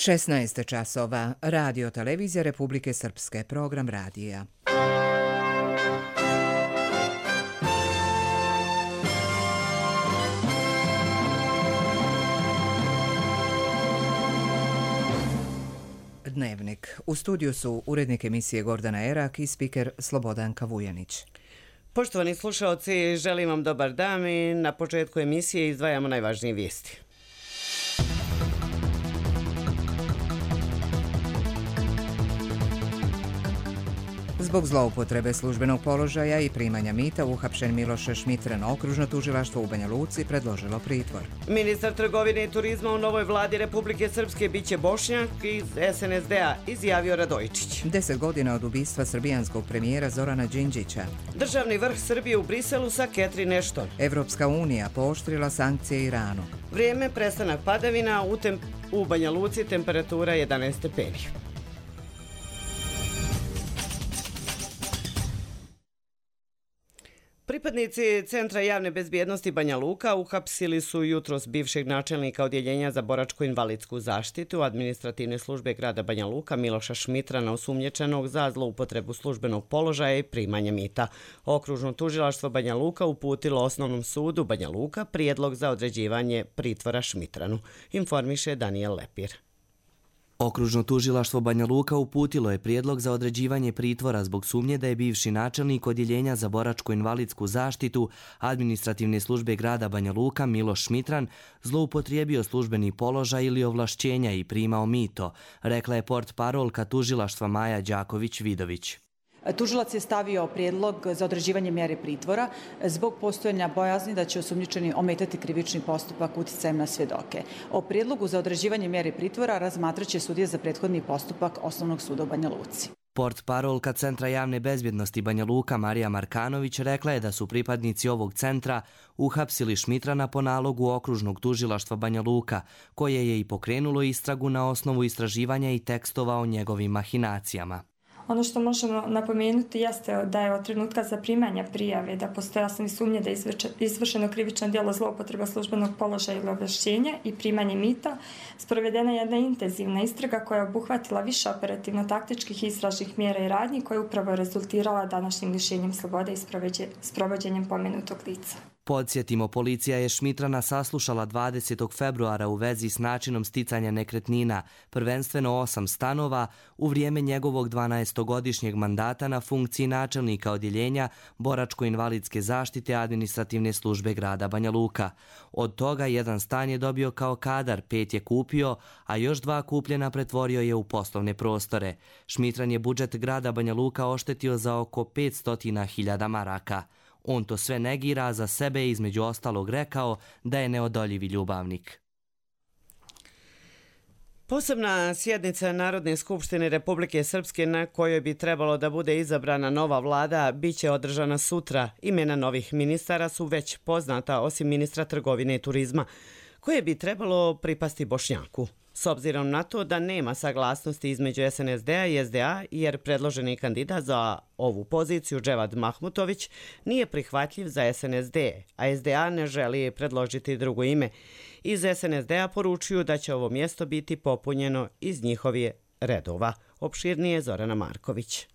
16 časova. Radio televizija Republike Srpske. Program radija. Dnevnik. U studiju su urednik emisije Gordana Erak i spiker Slobodanka Vujanić. Poštovani slušalci, želim vam dobar dan i na početku emisije izdvajamo najvažnije vijesti. Zbog zloupotrebe službenog položaja i primanja mita uhapšen Miloš Šmitran, okružno tužilaštvo u Banja Luci predložilo pritvor. Ministar trgovine i turizma u novoj vladi Republike Srpske biće Bošnjak iz SNSD-a, izjavio Radojičić. 10 godina od ubistva srbijanskog premijera Zorana Đinđića. Državni vrh Srbije u Briselu sa Catherine Ashton. Evropska unija pooštrila sankcije Iranu. Vrijeme, prestanak padavina, u Banja Luci temperatura 11 stepeni. Pripadnici Centra javne bezbjednosti Banja Luka uhapsili su jutros bivšeg načelnika Odjeljenja za boračko-invalidsku zaštitu administrativne službe grada Banja Luka Miloša Šmitrana, osumnjičenog za zloupotrebu službenog položaja i primanja mita. Okružno tužilaštvo Banja Luka uputilo Osnovnom sudu Banja Luka prijedlog za određivanje pritvora Šmitranu, informiše Daniel Lepir. Okružno tužilaštvo Banja Luka uputilo je prijedlog za određivanje pritvora zbog sumnje da je bivši načelnik Odjeljenja za boračko-invalidsku zaštitu administrativne službe grada Banja Luka Miloš Šmitran zloupotrijebio službeni položaj ili ovlašćenja i primao mito, rekla je portparolka tužilaštva Maja Đaković-Vidović. Tužilac je stavio prijedlog za određivanje mjere pritvora zbog postojanja bojazni da će osumnjičeni ometati krivični postupak uticajem na svjedoke. O prijedlogu za određivanje mjere pritvora razmatraće sudija za prethodni postupak Osnovnog suda u Banja Luci. Portparolka Centra javne bezbjednosti Banja Luka Marija Markanović rekla je da su pripadnici ovog centra uhapsili Šmitrana po nalogu okružnog tužilaštva Banja Luka, koje je i pokrenulo istragu na osnovu istraživanja i tekstova o njegovim mahinacijama. Ono što možemo napomenuti jeste da je od trenutka zaprimanja prijave da postoje osnovne sumnje da je izvršeno krivično djelo zloupotreba službenog položaja ili ovlašćenja i primanje mita, sprovedena jedna intenzivna istraga koja je obuhvatila više operativno-taktičkih istražnih mjera i radnji koja je upravo rezultirala današnjim lišenjem slobode i sprovođenjem pomenutog lica. Podsjetimo, policija je Šmitrana saslušala 20. februara u vezi s načinom sticanja nekretnina, prvenstveno 8 stanova, u vrijeme njegovog 12-godišnjeg mandata na funkciji načelnika Odjeljenja boračko-invalidske zaštite administrativne službe grada Banja Luka. Od toga jedan stan je dobio kao kadar, 5 je kupio, a još 2 kupljena pretvorio je u poslovne prostore. Šmitran je budžet grada Banja Luka oštetio za oko 500.000 maraka. On to sve negira, za sebe je između ostalog rekao da je neodoljivi ljubavnik. Posebna sjednica Narodne skupštine Republike Srpske na kojoj bi trebalo da bude izabrana nova vlada biće održana sutra. Imena novih ministara su već poznata osim ministra trgovine i turizma, koje bi trebalo pripasti Bošnjaku. S obzirom na to da nema saglasnosti između SNSD-a i SDA, jer predloženi kandidat za ovu poziciju, Dževad Mahmutović, nije prihvatljiv za SNSD, a SDA ne želi predložiti drugo ime. Iz SNSD-a poručuju da će ovo mjesto biti popunjeno iz njihovih redova. Opširnije Zorana Marković.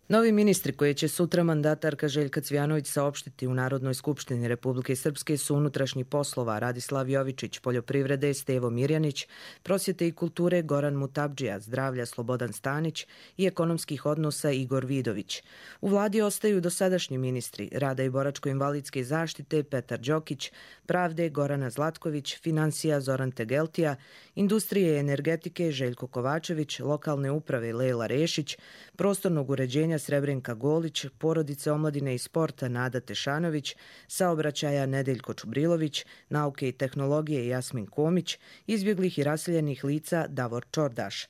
Novi ministri koje će sutra mandatarka Željka Cvijanović saopštiti u Narodnoj skupštini Republike Srpske su unutrašnjih poslova Radislav Jovičić, poljoprivrede Stevo Mirjanić, prosvjete i kulture Goran Mutabdžija, zdravlja Slobodan Stanić i ekonomskih odnosa Igor Vidović. U vladi ostaju dosadašnji ministri rada i boračko-invalidske zaštite Petar Đokić, pravde Gorana Zlatković, financija Zoran Tegeltija, industrije i energetike Željko Kovačević, lokalne uprave Lejla Rešić, prostornog uređenja Srebrenka Golić, porodice omladine i sporta Nada Tešanović, saobraćaja Nedeljko Čubrilović, nauke i tehnologije Jasmin Komić, izbjeglih i raseljenih lica Davor Čordaš.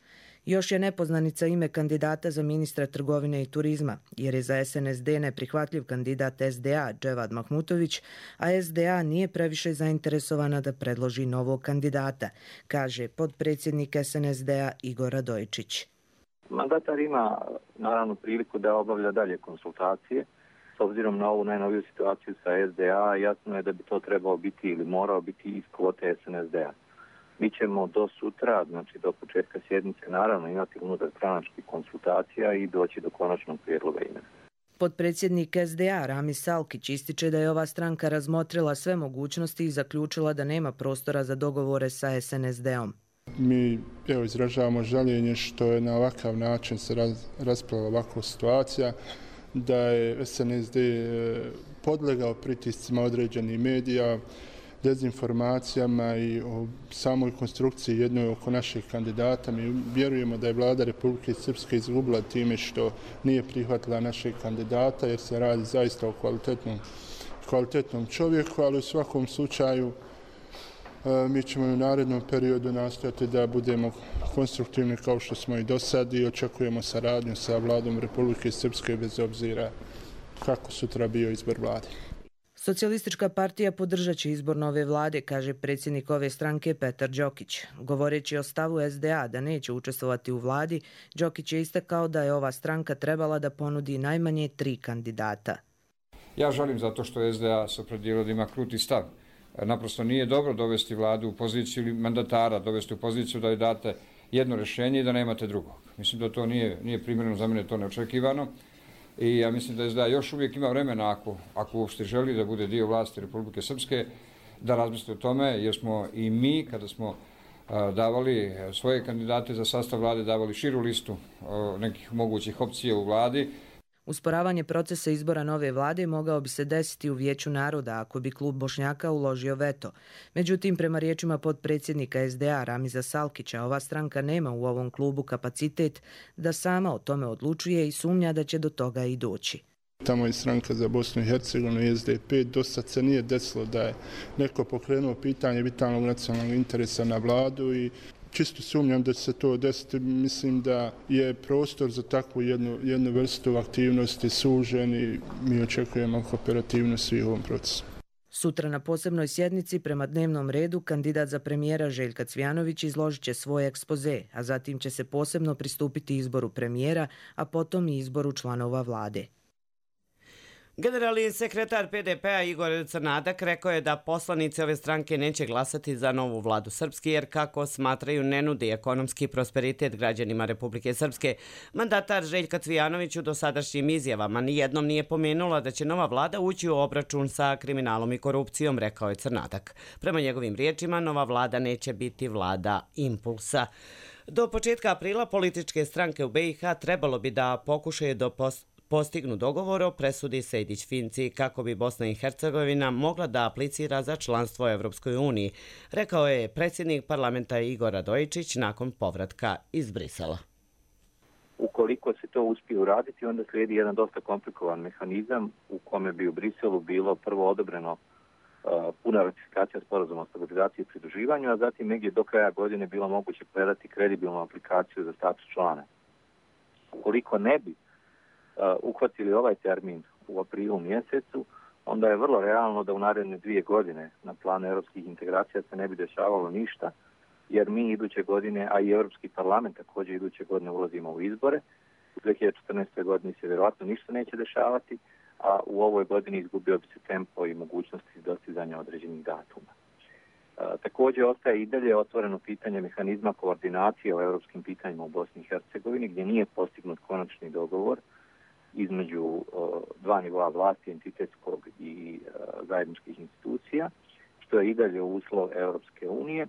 Još je nepoznanica ime kandidata za ministra trgovine i turizma, jer je za SNSD neprihvatljiv kandidat SDA Dževad Mahmutović, a SDA nije previše zainteresovana da predloži novog kandidata, kaže podpredsjednik SNSD-a Igor Radojičić. Mandatar ima naravno priliku da obavlja dalje konsultacije. S obzirom na ovu najnoviju situaciju sa SDA, jasno je da bi to trebao biti ili morao biti iz kvote SNSD-a. Mi ćemo do sutra, znači do početka sjednice, naravno imati unutar stranačkih konsultacija i doći do konačnog prijedloga imena. Potpredsjednik SDA Ramiz Salkić ističe da je ova stranka razmotrila sve mogućnosti i zaključila da nema prostora za dogovore sa SNSD-om. Mi izražavamo žaljenje što je na ovakav način se raspravila ovakva situacija, da je SNSD podlegao pritiscima određenih medija, dezinformacijama i o samoj konstrukciji jednoj oko naših kandidata. Mi vjerujemo da je vlada Republike Srpske izgubila time što nije prihvatila našeg kandidata, jer se radi zaista o kvalitetnom čovjeku, ali u svakom slučaju mi ćemo u narednom periodu nastojati da budemo konstruktivni kao što smo i do sad i očekujemo saradnju sa vladom Republike Srpske bez obzira kako sutra bio izbor vlade. Socijalistička partija podržat će izbor nove vlade, kaže predsjednik ove stranke Petar Đokić. Govoreći o stavu SDA da neće učestvovati u vladi, Đokić je istakao da je ova stranka trebala da ponudi najmanje 3 kandidata. Ja žalim zato što SDA se opredijelio da ima kruti stav. Naprosto nije dobro dovesti vladu u poziciju ili mandatara, dovesti u poziciju da joj date jedno rješenje i da nemate drugog. Mislim da to nije primjereno, za mene to neočekivano. I ja mislim da SDA još uvijek ima vremena, ako uopšte želi da bude dio vlasti Republike Srpske, da razmisli o tome, jer smo i mi, kada smo davali svoje kandidate za sastav vlade, davali širu listu nekih mogućih opcija u vladi. Usporavanje procesa izbora nove vlade mogao bi se desiti u Vijeću naroda ako bi klub Bošnjaka uložio veto. Međutim, prema riječima potpredsjednika SDA Ramiza Salkića, ova stranka nema u ovom klubu kapacitet da sama o tome odlučuje i sumnja da će do toga i doći. Tamo je stranka za Bosnu i Hercegovinu i SDP. Do sad se nije desilo da je neko pokrenuo pitanje vitalnog nacionalnog interesa na vladu i čisto sumnjam da će se to desiti. Mislim da je prostor za takvu jednu vrstu aktivnosti sužen i mi očekujemo kooperativnost u ovom procesu. Sutra na posebnoj sjednici prema dnevnom redu kandidat za premijera Željka Cvijanović izložit će svoj ekspoze, a zatim će se posebno pristupiti izboru premijera, a potom i izboru članova vlade. Generalni sekretar PDP-a Igor Crnadak rekao je da poslanici ove stranke neće glasati za novu vladu Srpske jer, kako smatraju, ne nudi ekonomski prosperitet građanima Republike Srpske. Mandatar Željka Cvijanović u dosadašnjim izjavama nijednom nije pomenula da će nova vlada ući u obračun sa kriminalom i korupcijom, rekao je Crnadak. Prema njegovim riječima, nova vlada neće biti vlada impulsa. Do početka aprila političke stranke u BiH trebalo bi da pokušaju da postignu dogovor o presudi Sejdić-Finci kako bi Bosna i Hercegovina mogla da aplicira za članstvo u Evropskoj uniji, rekao je predsjednik parlamenta Igor Radojičić nakon povratka iz Brisela. Ukoliko se to uspije uraditi, onda slijedi jedan dosta komplikovan mehanizam u kome bi u Briselu bilo prvo odobreno puna ratifikacija sporazuma o stabilizaciji i pridruživanju, a zatim negdje do kraja godine bilo moguće predati kredibilnu aplikaciju za status člana. Ukoliko ne bi uhvatili ovaj termin u aprilu mjesecu, onda je vrlo realno da u naredne 2 godine na planu europskih integracija se ne bi dešavalo ništa, jer mi iduće godine, a i Europski parlament također iduće godine ulazimo u izbore. U 2014. godini se vjerojatno ništa neće dešavati, a u ovoj godini izgubio bi se tempo i mogućnosti dostizanja određenih datuma. Također ostaje i dalje otvoreno pitanje mehanizma koordinacije o europskim pitanjima u Bosni i Hercegovini, gdje nije postignut konačni dogovor između dva nivoa vlasti, entitetskog i zajedničkih institucija, što je i dalje uslov Europske unije.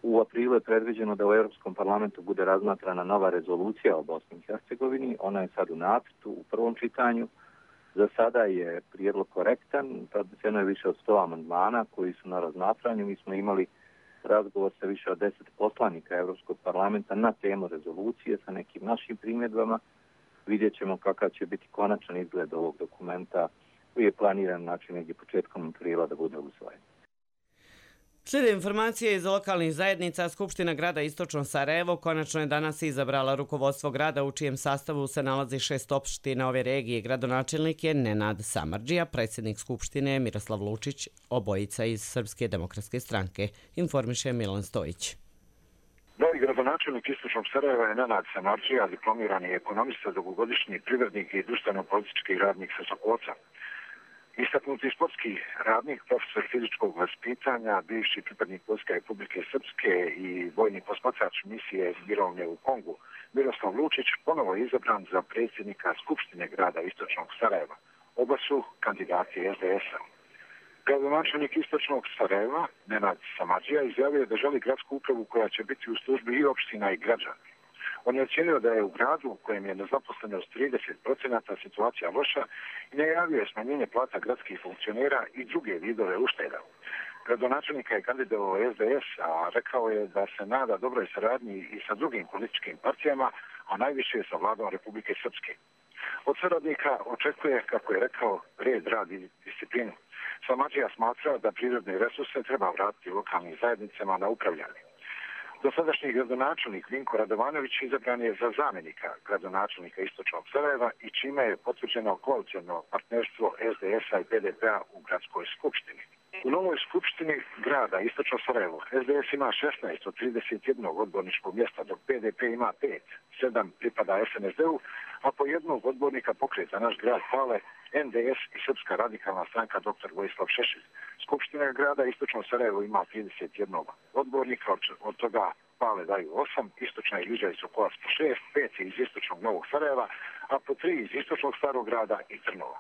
U aprilu je predviđeno da u Europskom parlamentu bude razmatrana nova rezolucija o Bosni i Hercegovini. Ona je sad u nacrtu, u prvom čitanju. Za sada je prijedlog korektan, podneseno je više od 100 amandmana koji su na razmatranju. Mi smo imali razgovor sa više od 10 poslanika Europskog parlamenta na temu rezolucije sa nekim našim primjedbama. Vidjet ćemo kakav će biti konačan izgled ovog dokumenta koji je planiran negdje početkom aprila da bude usvojen. Slijede informacije iz lokalnih zajednica. Skupština grada Istočno Sarajevo konačno je danas izabrala rukovodstvo grada u čijem sastavu se nalazi 6 opština ove regije. Gradonačelnik je Nenad Samardžija, predsjednik Skupštine je Miroslav Lučić, obojica iz Srpske demokratske stranke, informiše Milan Stojić. Novi gradonačelnik Istočnog Sarajeva je Nenad Samardžija, diplomirani ekonomista, dugogodišnji privrednik i društveno-politički radnik sa Sokolca. Istaknuti sportski radnik, profesor fizičkog vaspitanja, bivši pripadnik Vojske Republike Srpske i vojni posmatrač misije Mirovne u Kongu, Miroslav Lučić ponovo je izabran za predsjednika Skupštine grada Istočnog Sarajeva. Oba su kandidati SDS-a. Gradonačelnik Istočnog Sarajeva, Nenad Samadžija, izjavio da želi gradsku upravu koja će biti u službi i opština i građana. On je ocjenio da je u gradu u kojem je nezaposlenost 30% situacija loša i najavio je smanjenje plata gradskih funkcionera i druge vidove ušteda. Gradonačelnika je kandidovao SDS, a rekao je da se nada dobroj saradnji i sa drugim političkim partijama, a najviše sa vladom Republike Srpske. Od saradnika očekuje, kako je rekao, red, rad i disciplinu. Samadžija smatra da prirodne resurse treba vratiti lokalnim zajednicama na upravljanje. Dosadašnji gradonačelnik Vinko Radovanović izabran je za zamjenika gradonačelnika Istočnog Sarajeva i čime je potvrđeno koaliciono partnerstvo SDS-a i PDP-a u gradskoj skupštini. U novoj skupštini grada Istočno Sarajevo SDS ima 16 od 31 odborničkog mjesta, dok PDP ima 5, 7 pripada SNSD-u, a po jednog odbornika pokreta Naš grad Pale, NDS i Srpska radikalna stranka dr. Vojislav Šešelj. Skupština grada Istočno Sarajevo ima 31 odbornika, od toga Pale daju 8, Istočna i Ilidža i Sokolac po 6, 5 iz Istočnog Novog Sarajeva, a po 3 iz Istočnog Starog grada i Trnova.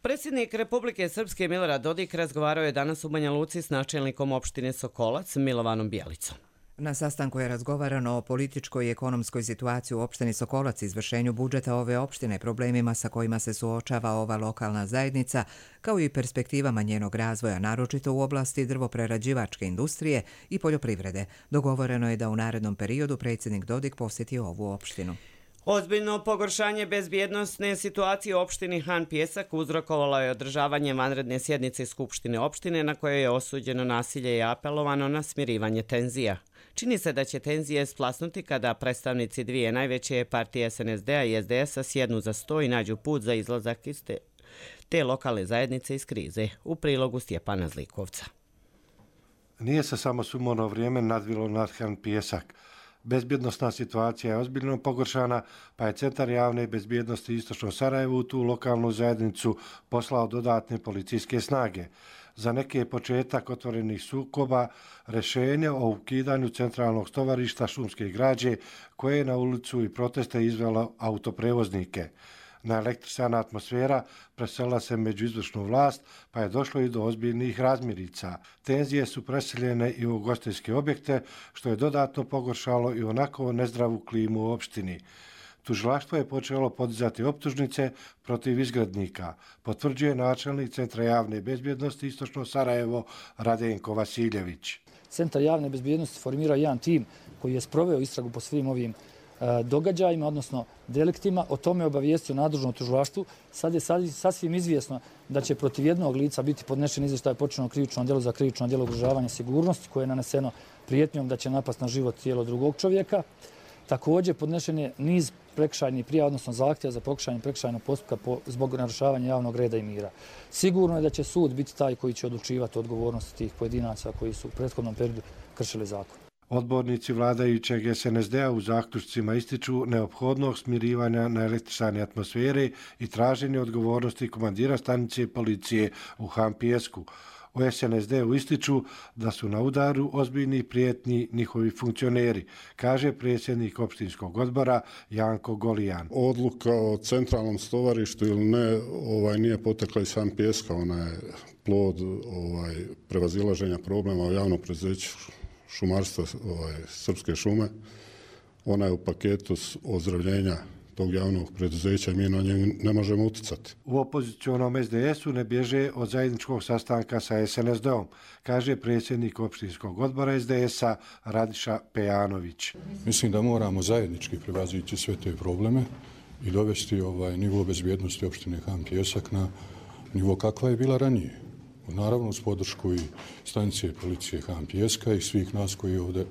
Predsjednik Republike Srpske Milorad Dodik razgovarao je danas u Banja Luci s načelnikom opštine Sokolac Milovanom Bjelicom. Na sastanku je razgovarano o političkoj i ekonomskoj situaciji u opštini Sokolac, izvršenju budžeta ove opštine, problemima sa kojima se suočava ova lokalna zajednica, kao i perspektivama njenog razvoja, naročito u oblasti drvoprerađivačke industrije i poljoprivrede. Dogovoreno je da u narednom periodu predsjednik Dodik posjeti ovu opštinu. Ozbiljno pogoršanje bezbjednosne situacije u opštini Han Pijesak uzrokovalo je održavanje vanredne sjednice Skupštine opštine na kojoj je osuđeno nasilje i apelovano na smirivanje tenzija. Čini se da će tenzije splasnuti kada predstavnici dvije najveće partije SNSD-a i SDS-a sjednu za sto i nađu put za izlazak iz te lokalne zajednice iz krize. U prilogu Stjepana Zlikovca. Nije se samo sumorno vrijeme nadvilo nad Han Pijesak. Bezbjednostna situacija je ozbiljno pogoršana, pa je Centar javne bezbjednosti Istočno Sarajevo u tu lokalnu zajednicu poslao dodatne policijske snage. Za neke je početak otvorenih sukoba rješenje o ukidanju centralnog stovarišta šumske građe koje je na ulicu i proteste izvelo autoprevoznike. Naelektrisana atmosfera preselila se među izvršnu vlast, pa je došlo i do ozbiljnih razmirica. Tenzije su preseljene i u ugostiteljske objekte, što je dodatno pogoršalo i onako nezdravu klimu u opštini. Tužilaštvo je počelo podizati optužnice protiv izgrednika, potvrđuje načelnik Centra javne bezbjednosti Istočno Sarajevo Radenko Vasiljević. Centar javne bezbjednosti formirao jedan tim koji je sproveo istragu po svim ovim događajima, odnosno deliktima. O tome je obavijestio nadležno tužilaštvu. Sad je sasvim izvjesno da će protiv jednog lica biti podnešen izvještaj o počinjenom krivičnom djelu za krivično djelo ugrožavanja sigurnosti koje je naneseno prijetnjom da će napast na život tijelo drugog čovjeka. Također podnešen je niz prekršajnih prijava, odnosno zahtjeva za pokretanje prekršajnog postupka zbog narušavanja javnog reda i mira. Sigurno je da će sud biti taj koji će odlučivati o odgovornosti tih pojedinaca koji su u prethodnom periodu kršili zakon. Odbornici vladajućeg SNSD-a u zaključcima ističu neophodnog smirivanja na električne atmosfere i traženje odgovornosti komandira stanice policije u Han Pijesku. U SNSD-u ističu da su na udaru ozbiljni prijetnji njihovi funkcioneri, kaže predsjednik opštinskog odbora Janko Golijan. Odluka o centralnom stovarištu ili ne nije potekla iz Han Pijeska, ona je plod prevazilaženja problema u javnom preduzeću šumarstva Srpske šume. Ona je u paketu ozdravljenja tog javnog preduzeća i mi na njeg ne možemo uticati. U opozicionom SDS-u ne bježe od zajedničkog sastanka sa SNSD-om, kaže predsjednik opštinskog odbora SDS-a Radiša Pejanović. Mislim da moramo zajednički prevazići sve te probleme i dovesti nivo bezbjednosti opštine Han Pijesak na nivo kakva je bila ranije. Naravno uz podršku i stanice policije Han Pijeska i svih nas koji ovdje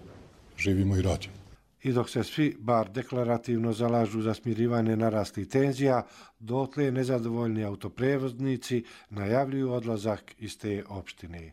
živimo i radimo. I dok se svi, bar deklarativno, zalažu za smirivanje naraslih tenzija, dotle nezadovoljni autoprevoznici najavljuju odlazak iz te opštine.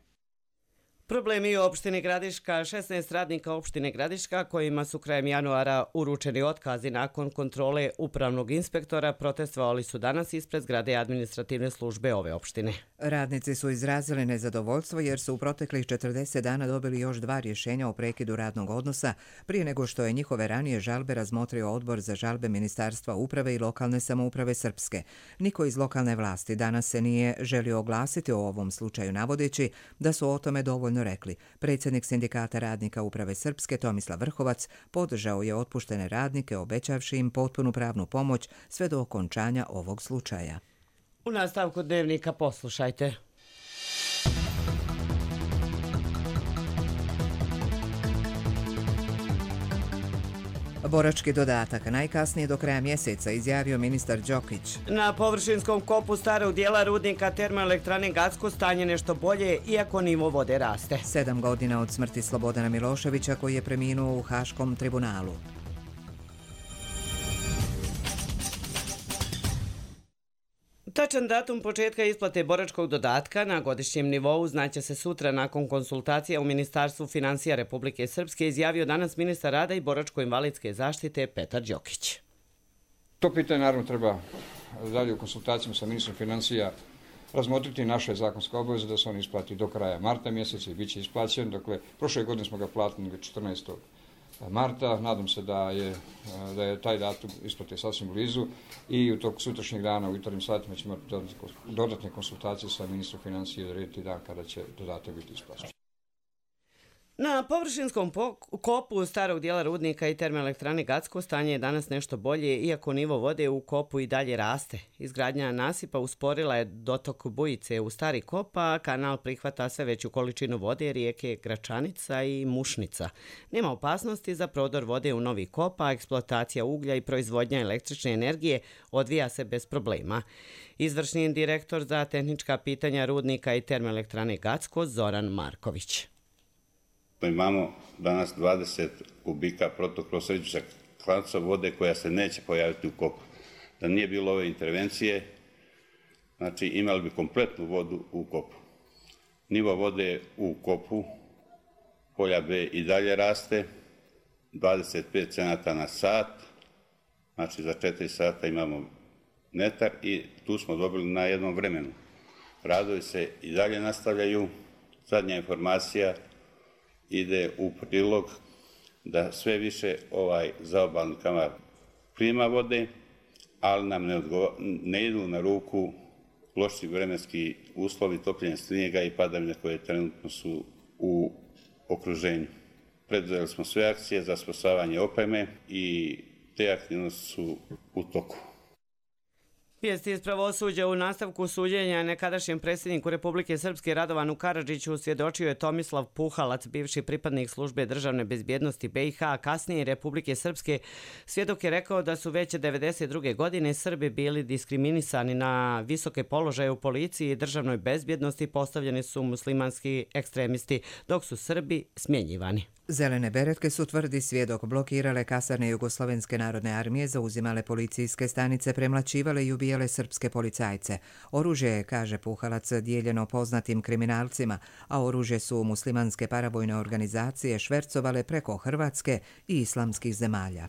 Problemi u opštini Gradiška. 16 radnika opštine Gradiška kojima su krajem januara uručeni otkazi nakon kontrole upravnog inspektora protestovali su danas ispred zgrade administrativne službe ove opštine. Radnici su izrazili nezadovoljstvo jer su u proteklih 40 dana dobili još 2 rješenja o prekidu radnog odnosa prije nego što je njihove ranije žalbe razmotrio Odbor za žalbe Ministarstva uprave i lokalne samouprave Srpske. Niko iz lokalne vlasti danas se nije želio oglasiti o ovom slučaju navodeći da su o tome dovoljno rekli. Predsjednik Sindikata radnika uprave Srpske Tomislav Vrhovac podržao je otpuštene radnike obećavši im potpunu pravnu pomoć sve do okončanja ovog slučaja. U nastavku dnevnika poslušajte. Borački dodatak najkasnije do kraja mjeseca, izjavio ministar Đokić. Na površinskom kopu starog dijela rudnika termoelektrane Gacko stanje nešto bolje, iako nivo vode raste. 7 godina od smrti Slobodana Miloševića koji je preminuo u Haškom tribunalu. Tačan datum početka isplate boračkog dodatka na godišnjem nivou znaće se sutra nakon konsultacija u Ministarstvu financija Republike Srpske, izjavio danas ministar rada i boračko-invalidske zaštite Petar Đokić. To pitanje naravno treba dalje u konsultacijama sa ministrom financija razmotriti. Naša je zakonska obaveza da se on isplati do kraja marta mjeseca i bit će isplaćen. Dakle, prošle godine smo ga platili 14. marta. Nadam se da je taj datum isplate sasvim blizu i u tog sutrašnjeg dana u jutarnjim satima ćemo imati dodatne konsultacije sa ministrom financije da odrediti dan kada će dodatak biti isplaćen. Na površinskom kopu starog dijela rudnika i termoelektrane Gacko stanje je danas nešto bolje, iako nivo vode u kopu i dalje raste. Izgradnja nasipa usporila je dotok bujice u stari kop, a kanal prihvata sve veću količinu vode rijeke Gračanica i Mušnica. Nema opasnosti za prodor vode u novi kop, a eksploatacija uglja i proizvodnja električne energije odvija se bez problema. Izvršni direktor za tehnička pitanja rudnika i termoelektrane Gacko Zoran Marković. Imamo danas 20 kubika protokrosređičak klanca vode koja se neće pojaviti u kopu. Da nije bilo ove intervencije, znači imali bi kompletnu vodu u kopu. Nivo vode u kopu polja B i dalje raste, 25 cenata na sat, znači za 4 sata imamo metar i tu smo dobili na jednom vremenu. Radovi se i dalje nastavljaju, zadnja informacija ide u prilog da sve više zaobalni kanal prima vode, ali nam ne idu na ruku loši vremenski uslovi, topljenje snijega i padavine koje trenutno su u okruženju. Preduzeli smo sve akcije za spasavanje opreme i te aktivnosti su u toku. Vijesti iz pravosuđa. U nastavku suđenja nekadašnjem predsjedniku Republike Srpske Radovanu Karadžiću svjedočio je Tomislav Puhalac, bivši pripadnik službe državne bezbjednosti BiH, a kasnije Republike Srpske. Svjedok je rekao da su već 1992. godine Srbi bili diskriminisani na visoke položaje u policiji i državnoj bezbjednosti, postavljeni su muslimanski ekstremisti, dok su Srbi smjenjivani. Zelene beretke su, tvrdi svjedok, blokirale kasarne Jugoslovenske narodne armije, zauzimale policijske stanice, premlaćivale i ubijale srpske policajce. Oružje je, kaže Puhalac, dijeljeno poznatim kriminalcima, a oružje su muslimanske paravojne organizacije švercovale preko Hrvatske i islamskih zemalja.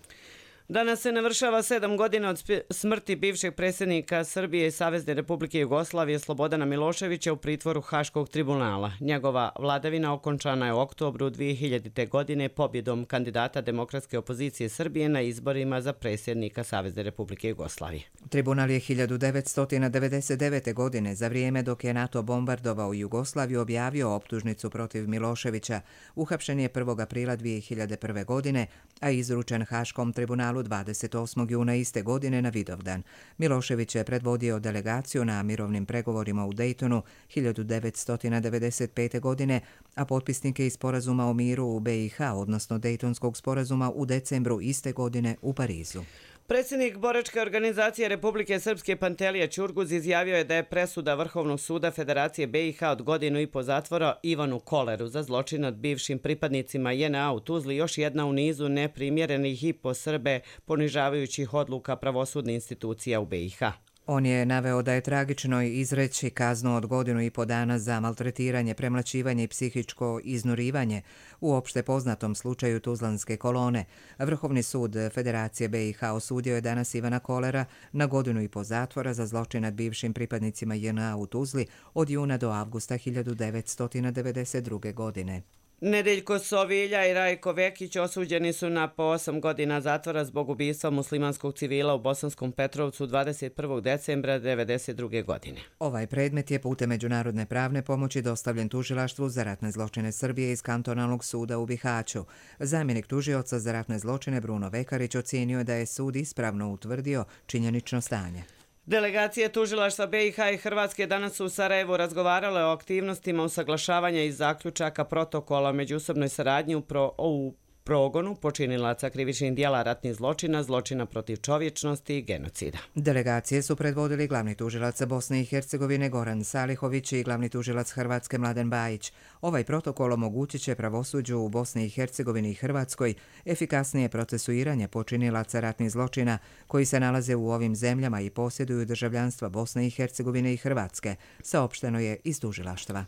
Danas se navršava 7 godina od smrti bivšeg predsjednika Srbije i Savezne Republike Jugoslavije Slobodana Miloševića u pritvoru Haškog tribunala. Njegova vladavina okončana je u oktobru 2000. godine pobjedom kandidata demokratske opozicije Srbije na izborima za predsjednika Savezne Republike Jugoslavije. Tribunal je 1999. godine, za vrijeme dok je NATO bombardovao Jugoslaviju, objavio optužnicu protiv Miloševića. Uhapšen je 1. aprila 2001. godine, a izručen Haškom tribunalu 28. juna iste godine na Vidovdan. Milošević je predvodio delegaciju na mirovnim pregovorima u Dejtonu 1995. godine, a potpisnike iz sporazuma o miru u BiH, odnosno Dejtonskog sporazuma u decembru iste godine u Parizu. Predsjednik boračke organizacije Republike Srpske Pantelija Ćurguz izjavio je da je presuda Vrhovnog suda Federacije BiH od 1,5 godina zatvora Ivanu Koleru za zločin nad bivšim pripadnicima JNA u Tuzli još jedna u nizu neprimjerenih i po Srbe ponižavajućih odluka pravosudnih institucija u BiH. On je naveo da je tragično izreći kaznu od 1,5 dana za maltretiranje, premlaćivanje i psihičko iznurivanje u opšte poznatom slučaju Tuzlanske kolone. Vrhovni sud Federacije BiH osudio je danas Ivana Kolera na 1,5 zatvora za zločin nad bivšim pripadnicima JNA u Tuzli od juna do avgusta 1992. godine. Nedeljko Sovilja i Rajko Vekić osuđeni su na po 8 godina zatvora zbog ubistva muslimanskog civila u Bosanskom Petrovcu 21. decembra 1992. godine. Ovaj predmet je putem međunarodne pravne pomoći dostavljen tužilaštvu za ratne zločine Srbije iz kantonalnog suda u Bihaću. Zamjenik tužioca za ratne zločine Bruno Vekarić ocijenio je da je sud ispravno utvrdio činjenično stanje. Delegacije tužilaštva BiH i Hrvatske danas su u Sarajevu razgovarale o aktivnostima usaglašavanja i zaključaka protokola o međusobnoj saradnji u progonu počinilaca krivičnih dijela ratnih zločina, zločina protiv čovječnosti i genocida. Delegacije su predvodili glavni tužilac Bosne i Hercegovine Goran Salihović i glavni tužilac Hrvatske Mladen Bajić. Ovaj protokol omogućit će pravosuđu u Bosni i Hercegovini i Hrvatskoj efikasnije procesuiranje počinilaca ratnih zločina koji se nalaze u ovim zemljama i posjeduju državljanstva Bosne i Hercegovine i Hrvatske, saopšteno je iz tužilaštva.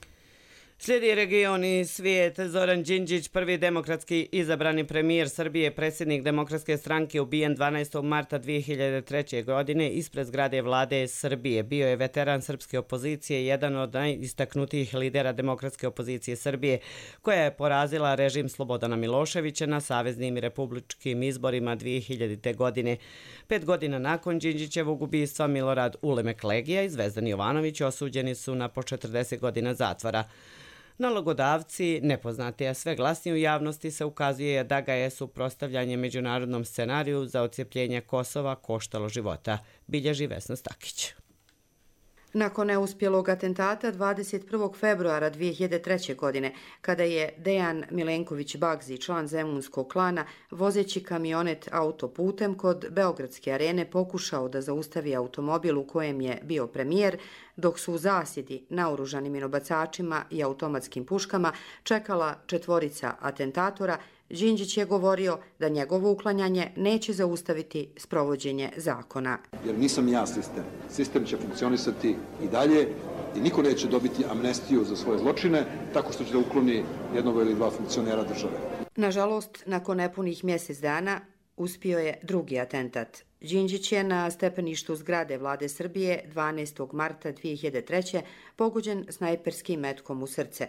Slijedi region i svijet. Zoran Đinđić, prvi demokratski izabrani premijer Srbije, predsjednik Demokratske stranke, ubijen 12. marta 2003. godine ispred zgrade vlade Srbije. Bio je veteran srpske opozicije, jedan od najistaknutijih lidera demokratske opozicije Srbije, koja je porazila režim Slobodana Miloševića na saveznim i republičkim izborima 2000. godine. 5 godina nakon Đinđićevog ubistva Milorad Ulemek Legija i Zvezdan Jovanović osuđeni su na po 40 godina zatvora. Nalogodavci, nepoznati, a sve glasnije u javnosti se ukazuje da ga je suprotstavljanje međunarodnom scenariju za odcjepljenje Kosova koštalo života, bilježi Vesna Stakić. Nakon neuspjelog atentata 21. februara 2003. godine, kada je Dejan Milenković Bagzi, član zemunskog klana, vozeći kamionet autoputem kod Beogradske arene pokušao da zaustavi automobil u kojem je bio premijer, dok su u zasjedi naoružanim minobacačima i automatskim puškama čekala 4 atentatora, Đinđić je govorio da njegovo uklanjanje neće zaustaviti sprovođenje zakona. Jer nisam ja sistem. Sistem će funkcionisati i dalje i niko neće dobiti amnestiju za svoje zločine tako što će da ukloni jednog ili 2 funkcionera države. Nažalost, nakon nepunih mjesec dana uspio je drugi atentat. Đinđić je na stepeništu zgrade vlade Srbije 12. marta 2003. pogođen snajperskim metkom u srce.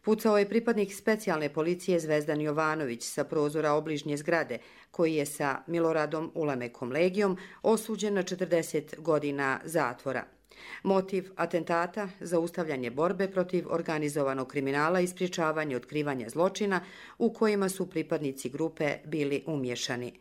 Pucao je pripadnik specijalne policije Zvezdan Jovanović sa prozora obližnje zgrade, koji je sa Miloradom Ulemekom Legijom osuđen na 40 godina zatvora. Motiv atentata – zaustavljanje borbe protiv organizovanog kriminala i sprječavanje otkrivanja zločina u kojima su pripadnici grupe bili umješani.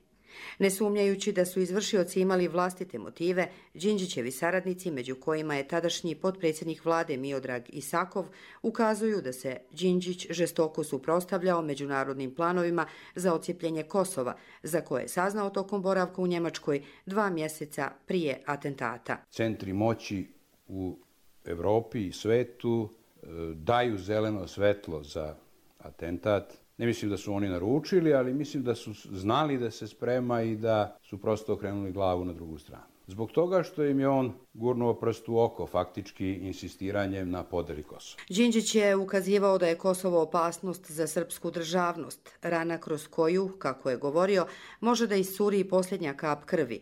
Ne sumnjajući da su izvršioci imali vlastite motive, Đinđićevi saradnici, među kojima je tadašnji potpredsjednik vlade Miodrag Isakov, ukazuju da se Đinđić žestoko suprotstavljao međunarodnim planovima za odcijepljenje Kosova, za koje je saznao tokom boravka u Njemačkoj 2 mjeseca prije atentata. Centri moći u Evropi i svetu daju zeleno svetlo za atentat. Ne mislim da su oni naručili, ali mislim da su znali da se sprema i da su prosto okrenuli glavu na drugu stranu. Zbog toga što im je on gurnuo prst u oko, faktički insistiranjem na podeli Kosova. Đinđić je ukazivao da je Kosovo opasnost za srpsku državnost, rana kroz koju, kako je govorio, može da iscuri posljednja kap krvi.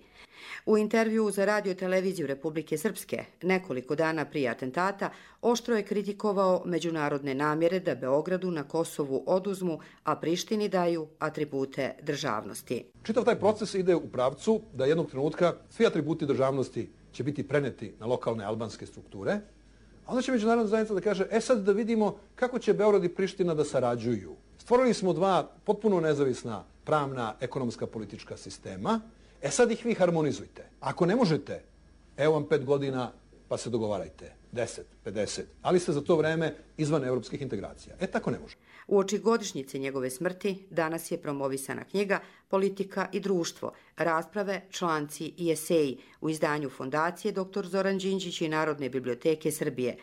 U intervjuu za radio televiziju Republike Srpske nekoliko dana prije atentata oštro je kritikovao međunarodne namjere da Beogradu na Kosovu oduzmu, a Prištini daju atribute državnosti. Čitav taj proces ide u pravcu da jednog trenutka svi atributi državnosti će biti preneti na lokalne albanske strukture, a onda će međunarodna zajednica da kaže, sad da vidimo kako će Beograd i Priština da sarađuju. Stvorili smo 2 potpuno nezavisna pravna, ekonomska, politička sistema. Sad ih vi harmonizujte. Ako ne možete, evo vam 5 godina pa se dogovarajte. 10, 50. Ali ste za to vreme izvan evropskih integracija. Tako ne može. Uoči godišnjice njegove smrti danas je promovisana knjiga Politika i društvo, rasprave, članci i eseji u izdanju Fondacije dr. Zoran Đinđić i Narodne biblioteke Srbije.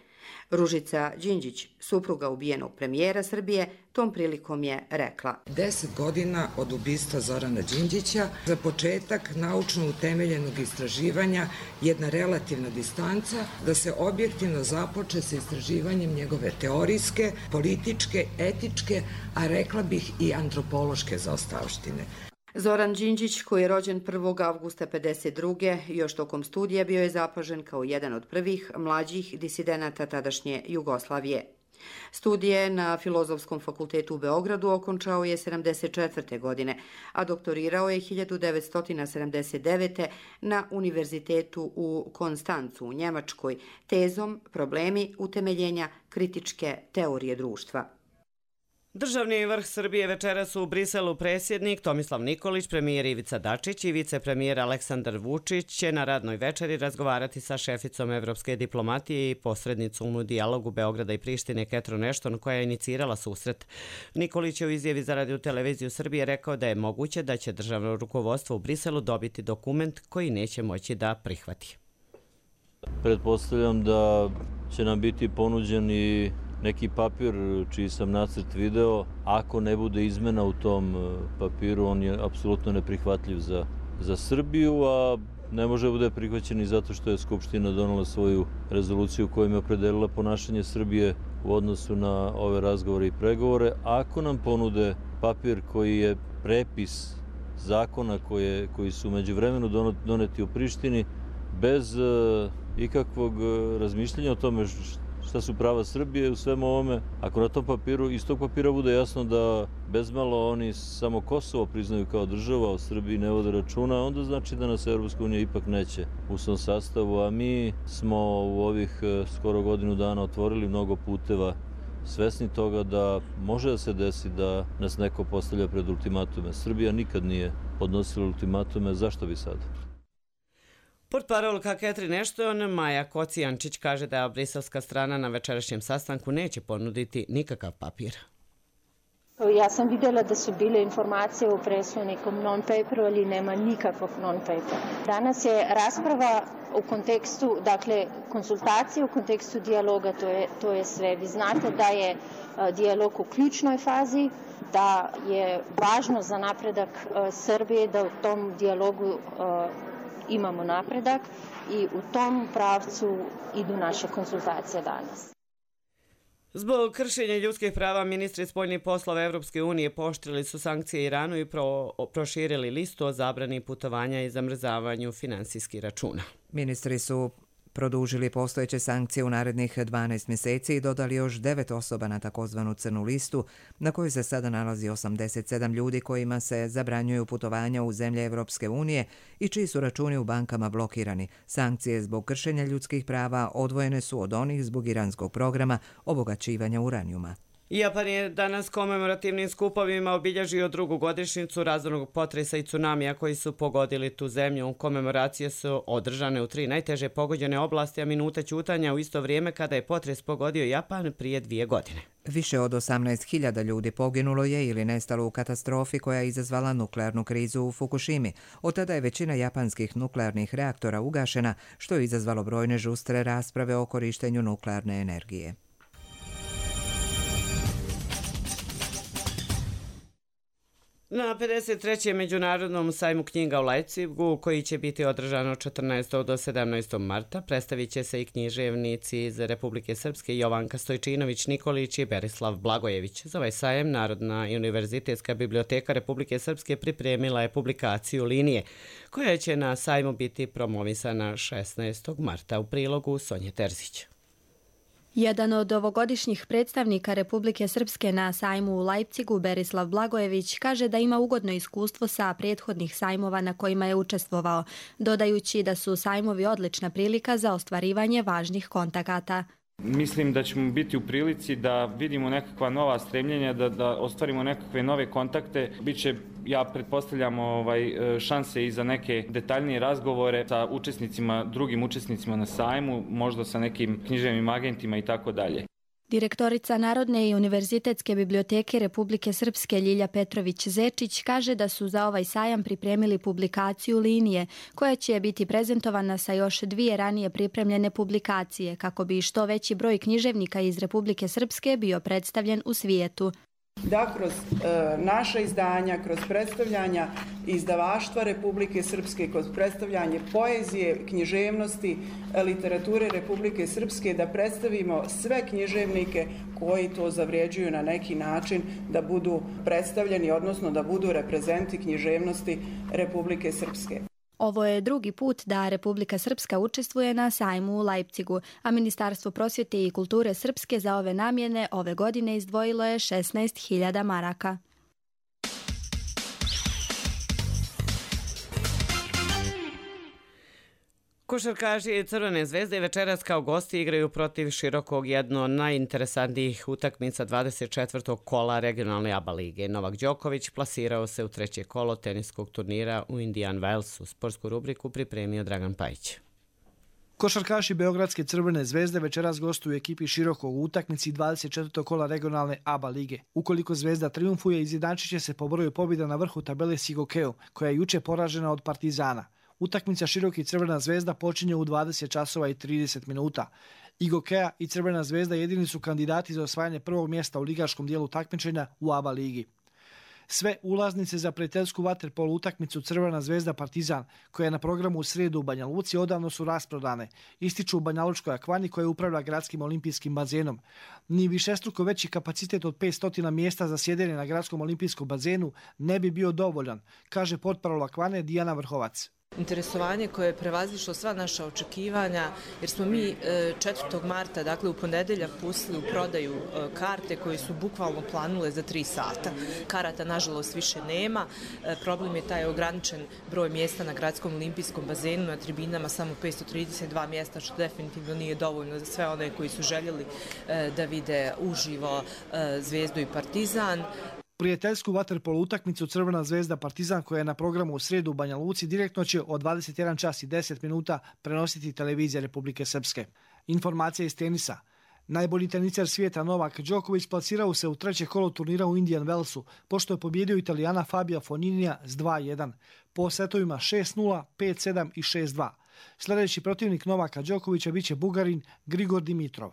Ružica Đinđić, supruga ubijenog premijera Srbije, tom prilikom je rekla: 10 godina od ubistva Zorana Đinđića, za početak naučno utemeljenog istraživanja, jedna relativna distanca, da se objektivno započe sa istraživanjem njegove teorijske, političke, etičke, a rekla bih i antropološke zaostavštine. Zoran Đinđić, koji je rođen 1. avgusta 1952. još tokom studija bio je zapažen kao jedan od prvih mlađih disidenata tadašnje Jugoslavije. Studije na Filozofskom fakultetu u Beogradu okončao je 1974. godine, a doktorirao je 1979. na Univerzitetu u Konstancu u Njemačkoj tezom Problemi utemeljenja kritičke teorije društva. Državni vrh Srbije večeras u Briselu predsjednik Tomislav Nikolić, premijer Ivica Dačić i vicepremijer Aleksandar Vučić će na radnoj večeri razgovarati sa šeficom evropske diplomatije i posrednicom u dijalogu Beograda i Prištine Catherine Ashton, koja je inicirala susret. Nikolić je u izjavi za Radio-televiziju Srbije rekao da je moguće da će državno rukovodstvo u Briselu dobiti dokument koji neće moći da prihvati. Pretpostavljam da će nam biti ponuđeni neki papir čiji sam nacrt video. Ako ne bude izmena u tom papiru, on je apsolutno neprihvatljiv za Srbiju, a ne može bude prihvaćen i zato što je Skupština donela svoju rezoluciju kojom je opredelila ponašanje Srbije u odnosu na ove razgovore i pregovore. Ako nam ponude papir koji je prepis zakona koji su međuvremenu doneti u Prištini, bez ikakvog razmišljanja o tome šta su prava Srbije u svemu ovome, ako na tom papiru, iz tog papira bude jasno da bezmalo oni samo Kosovo priznaju kao država, o Srbiji ne vode računa, onda znači da nas Evropska unija ipak neće u svom sastavu, a mi smo u ovih skoro godinu dana otvorili mnogo puteva, svesni toga da može da se desi da nas neko postavlja pred ultimatume. Srbija nikad nije podnosila ultimatume, zašto bi sad? Portparolka Catherine Ashton, Maja Kocijančić, kaže da briselska strana na večerašnjem sastanku neće ponuditi nikakav papir. Ja sam vidjela da su bile informacije u presu o nekom non-paperu, ali nema nikakvog non-papera. Danas je rasprava u kontekstu, dakle, konsultacije u kontekstu dijaloga, to je sve. Vi znate da je dijalog u ključnoj fazi, da je važno za napredak Srbije da u tom dijalogu imamo napredak i u tom pravcu idu naše konsultacije danas. Zbog kršenja ljudskih prava, ministri spoljnih poslova Evropske unije pooštrili su sankcije Iranu i proširili listu o zabrani putovanja i zamrzavanju finansijskih računa. Ministri su produžili postojeće sankcije u narednih 12 mjeseci i dodali još 9 osoba na takozvanu crnu listu, na kojoj se sada nalazi 87 ljudi kojima se zabranjuju putovanja u zemlje Evropske unije i čiji su računi u bankama blokirani. Sankcije zbog kršenja ljudskih prava odvojene su od onih zbog iranskog programa obogaćivanja uranijuma. Japan je danas komemorativnim skupovima obilježio drugu godišnjicu razornog potresa i tsunamija koji su pogodili tu zemlju. Komemoracije su održane u 3 najteže pogođene oblasti, a minuta ćutanja u isto vrijeme kada je potres pogodio Japan prije 2 godine. Više od 18.000 ljudi poginulo je ili nestalo u katastrofi koja je izazvala nuklearnu krizu u Fukushimi. Od tada je većina japanskih nuklearnih reaktora ugašena, što je izazvalo brojne žustre rasprave o korištenju nuklearne energije. Na 53. Međunarodnom sajmu knjiga u Leipzigu, koji će biti održan od 14. do 17. marta, predstavit će se i književnici iz Republike Srpske Jovanka Stojčinović Nikolić i Berislav Blagojević. Za ovaj sajem Narodna i univerzitetska biblioteka Republike Srpske pripremila je publikaciju Linije, koja će na sajmu biti promovisana 16. marta, u prilogu Sonje Terzić. Jedan od ovogodišnjih predstavnika Republike Srpske na sajmu u Leipzigu, Berislav Blagojević, kaže da ima ugodno iskustvo sa prethodnih sajmova na kojima je učestvovao, dodajući da su sajmovi odlična prilika za ostvarivanje važnih kontakata. Mislim da ćemo biti u prilici da vidimo nekakva nova stremljenja, da ostvarimo nekakve nove kontakte. Biće, ja pretpostavljam, šanse i za neke detaljnije razgovore sa učesnicima, drugim učesnicima na sajmu, možda sa nekim književnim agentima i tako dalje. Direktorica Narodne i univerzitetske biblioteke Republike Srpske Ljilja Petrović-Zečić kaže da su za ovaj sajam pripremili publikaciju Linije, koja će biti prezentovana sa još 2 ranije pripremljene publikacije, kako bi što veći broj književnika iz Republike Srpske bio predstavljen u svijetu. Da kroz naša izdanja, kroz predstavljanja izdavaštva Republike Srpske, kroz predstavljanje poezije, književnosti, literature Republike Srpske, da predstavimo sve književnike koji to zavređuju na neki način da budu predstavljeni, odnosno da budu reprezenti književnosti Republike Srpske. Ovo je drugi put da Republika Srpska učestvuje na sajmu u Leipzigu, a Ministarstvo prosvjete i kulture Srpske za ove namjene ove godine izdvojilo je 16.000 maraka. Košarkaši Crvene zvezde večeras kao gosti igraju protiv Širokog, jedno od najinteresantnijih utakmica 24. kola regionalne ABA lige. Novak Đoković plasirao se u 3. kolo teniskog turnira u Indian Wellsu. Sportsku rubriku pripremio Dragan Pajić. Košarkaši Beogradske Crvene zvezde večeras gostuju ekipi Širokog u utakmici 24. kola regionalne ABA lige. Ukoliko Zvezda triumfuje, izjednačit će se po broju pobjeda na vrhu tabele s Igokeom, koja je juče poražena od Partizana. Utakmica Široki Crvena zvezda počinje u 20 časova i 30 minuta. Igokea i Crvena zvezda jedini su kandidati za osvajanje prvog mjesta u ligaškom dijelu takmičenja u ABA ligi. Sve ulaznice za prijateljsku vaterpolo utakmicu Crvena zvezda Partizan, koja je na programu u srijedu u Banja Luci, odavno su rasprodane, ističu u Banjalučkoj akvani koja upravlja gradskim olimpijskim bazenom. Ni višestruko veći kapacitet od 500 mjesta za sjedenje na gradskom olimpijskom bazenu ne bi bio dovoljan, kaže portparol akvane Dijana Vrhovac. Interesovanje koje je prevazišlo sva naša očekivanja, jer smo mi 4. marta, dakle u ponedeljak, pustili u prodaju karte koje su bukvalno planule za 3 sata. Karata, nažalost, više nema. Problem je taj ograničen broj mjesta na gradskom olimpijskom bazenu, na tribinama samo 532 mjesta, što definitivno nije dovoljno za sve one koji su željeli da vide uživo Zvezdu i Partizan. Prijateljsku vaterpolo utakmicu Crvena zvezda Partizan, koja je na programu u srijedu u Banja Luci, direktno će od 21 čas i 10 minuta prenositi televizija Republike Srpske. Informacija iz tenisa. Najbolji teniser svijeta Novak Đoković plasirao se u 3. kolo turnira u Indian Wellsu, pošto je pobjedio Italijana Fabija Foninija s 2-1, po setovima 6-0, 5-7 i 6-2. Sljedeći protivnik Novaka Đokovića biće Bugarin Grigor Dimitrov.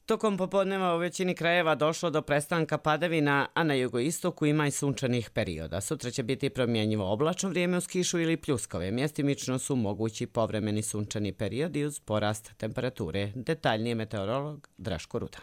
Tokom popodneva u većini krajeva došlo do prestanka padavina, a na jugoistoku ima i sunčanih perioda. Sutra će biti promjenjivo oblačno vrijeme uz kišu ili pljuskove. Mjestimično su mogući povremeni sunčani periodi uz porast temperature. Detaljnije meteorolog Draško Rudan.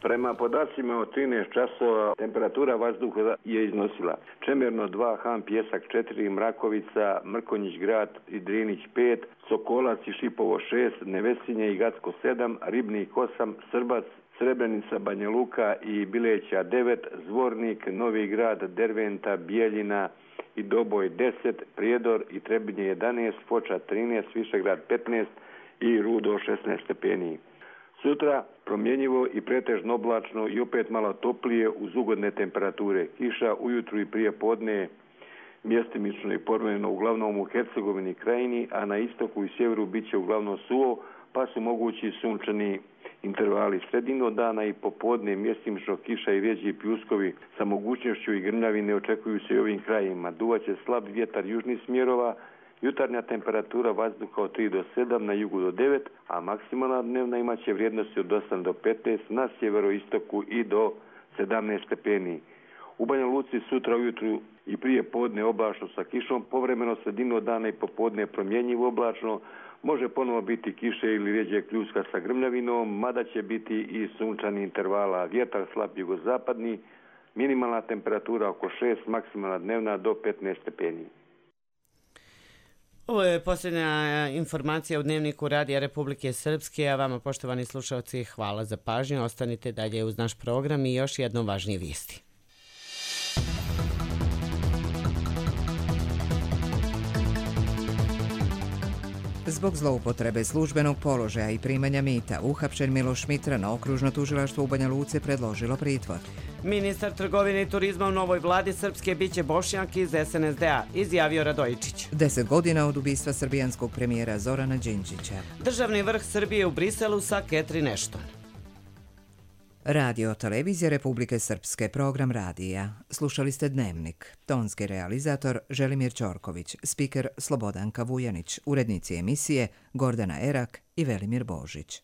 Prema podacima od 13 časova temperatura vazduha je iznosila Čemerno 2, Han Pjesak 4, Mrakovica, Mrkonjić Grad i Drinić 5, Sokolac i Šipovo 6, Nevesinje i Gacko 7, Ribnik 8, Srbac, Srebrenica, Banja Luka i Bileća 9, Zvornik, Novi Grad, Derventa, Bijeljina i Doboj 10, Prijedor i Trebinje 11, Foča 13, Višegrad 15 i Rudo 16 stepeni. Sutra promjenjivo i pretežno oblačno i opet malo toplije uz ugodne temperature. Kiša ujutru i prije podne mjestimično i povremeno uglavnom u Hercegovini krajini, a na istoku i sjeveru bit će uglavnom suvo, pa su mogući sunčani intervali sredino dana i popodne mjestimično kiša i rjeđi pljuskovi sa mogućnošću i grmljavine očekuju se i ovim krajima. Duvaće slab vjetar južnih smjerova. Jutarnja temperatura vazduha od 3 do 7, na jugu do 9, a maksimalna dnevna imaće vrijednosti od 8 do 15, na sjeveroistoku i do 17 stepeni. U Banja Luci sutra ujutru i prije podne oblačno sa kišom, povremeno sredinu dana i popodne promjenjivo oblačno, može ponovo biti kiše ili rjeđe pljuska sa grmljavinom, mada će biti i sunčani intervala. Vjetar slab jugozapadni, minimalna temperatura oko 6, maksimalna dnevna do 15 stepeni. Ovo je posljednja informacija u Dnevniku Radija Republike Srpske, a vama, poštovani slušalci, hvala za pažnju. Ostanite dalje uz naš program i još jednom važnije vijesti. Zbog zloupotrebe službenog položaja i primanja mita, uhapšen Miloš Mitra na okružno tužilaštvo u Banja Luci predložilo pritvor. Ministar trgovine i turizma u novoj vladi Srpske biće Bošnjak iz SNSD-a, izjavio Radojičić. 10 godina od ubistva srbijanskog premijera Zorana Đinđića. Državni vrh Srbije u Briselu sa Catherine Ashton. Radio Televizija Republike Srpske, program radija. Slušali ste Dnevnik. Tonski realizator Želimir Ćorković, spiker Slobodanka Vujanić, urednici emisije Gordana Erak i Velimir Božić.